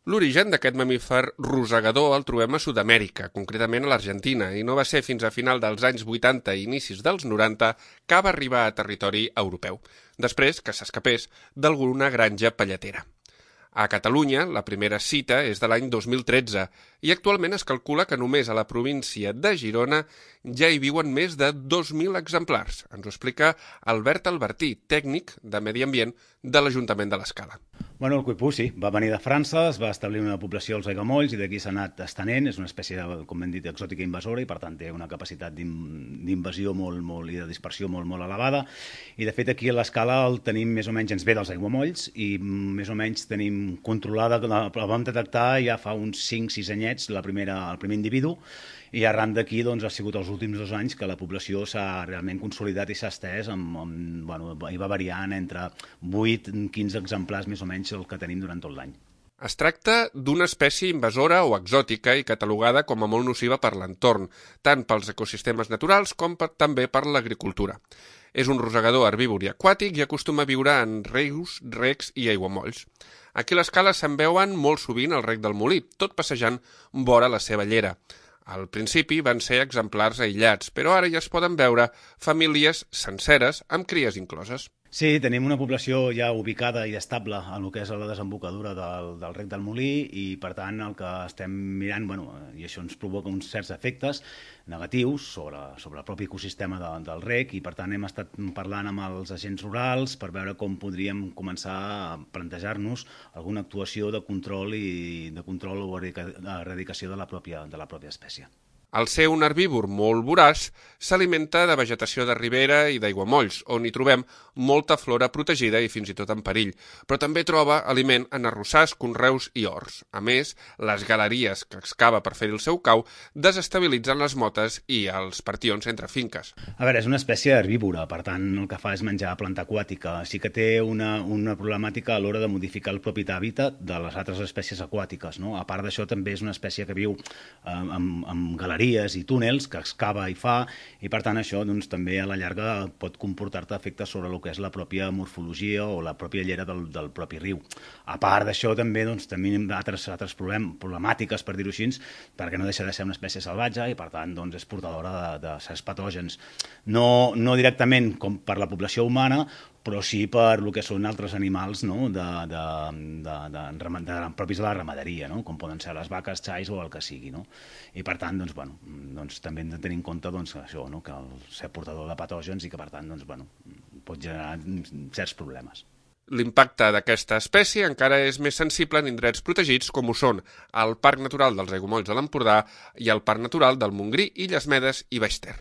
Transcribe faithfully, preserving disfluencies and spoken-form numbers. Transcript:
L'origen d'aquest mamífer rosegador el trobem a Sud-amèrica, concretament a l'Argentina, i no va ser fins a final dels anys vuitanta i inicis dels noranta que va arribar a territori europeu, després que s'escapés d'alguna granja palletera. A Catalunya, la primera cita és de l'any dos mil tretze i actualment es calcula que només a la província de Girona ja hi viuen més de dos mil exemplars. Ens ho explica Albert Albertí, tècnic de Medi Ambient de l'Ajuntament de l'Escala. Bueno, el cuipú sí, va venir de França, es va establir una població als aiguamolls i d'aquí s'ha anat estenent, és una espècie, de, com hem dit, exòtica invasora i per tant té una capacitat d'invasió molt, molt, i de dispersió molt, molt elevada i de fet aquí a l'Escala el tenim més o menys, ens ve dels aiguamolls i més o menys tenim controlada, la vam detectar ja fa uns cinc sis anyets la primera, el primer individu i arran d'aquí doncs, ha sigut els últims dos anys que la població s'ha realment consolidat i s'ha estès, amb, amb, bueno, i va variant entre vuit a quinze exemplars més o menys el que tenim durant tot l'any. Es tracta d'una espècie invasora o exòtica i catalogada com a molt nociva per l'entorn, tant pels ecosistemes naturals com per, també per l'agricultura. És un rosegador herbívor i aquàtic i acostuma a viure en rius, recs i aiguamolls. Aquí a l'Escala se'n veuen molt sovint al rec del Molí, tot passejant vora la seva llera. Al principi van ser exemplars aïllats, però ara ja es poden veure famílies senceres amb cries incloses. Sí, tenim una població ja ubicada i estable en el que és la desembocadura del, del rec del Molí i, per tant, el que estem mirant, bueno, i això ens provoca uns certs efectes negatius sobre, sobre el propi ecosistema de, del rec i, per tant, hem estat parlant amb els agents rurals per veure com podríem començar a plantejar-nos alguna actuació de control i de control o erradicació de la pròpia, de la pròpia espècie. Al ser un herbívor molt voraç, s'alimenta de vegetació de ribera i d'aiguamolls, on hi trobem molta flora protegida i fins i tot en perill, però també troba aliment en arrossars, conreus i horts. A més, les galeries que excava per fer el seu cau desestabilitzen les motes i els partions entre finques. A veure, és una espècie herbívora, per tant, el que fa és menjar planta aquàtica. Sí que té una, una problemàtica a l'hora de modificar el propi hàbitat de les altres espècies aquàtiques, no? A part d'això, també és una espècie que viu eh, amb, amb galeries i túnels que excava i fa i per tant això doncs, també a la llarga pot comportar-te efectes sobre el que és la pròpia morfologia o la pròpia llera del, del propi riu. A part d'això també doncs, tenim altres, altres problem, problemàtiques per dir-ho així perquè no deixa de ser una espècie salvatge i per tant doncs, és portadora de, de certs patògens. No, no directament com per la població humana però sí per el que són altres animals no? de, de, de, de, de, de, propis de la ramaderia, no? Com poden ser les vaques, xais o el que sigui. No? I per tant, doncs, bueno, doncs, també hem de tenir en compte doncs, això, no? Que el ser portador de patògens i que per tant doncs, bueno, pot generar certs problemes. L'impacte d'aquesta espècie encara és més sensible en indrets protegits com ho són el Parc Natural dels Aiguamolls de l'Empordà i el Parc Natural del Montgrí, Illes Medes i Baix Ter.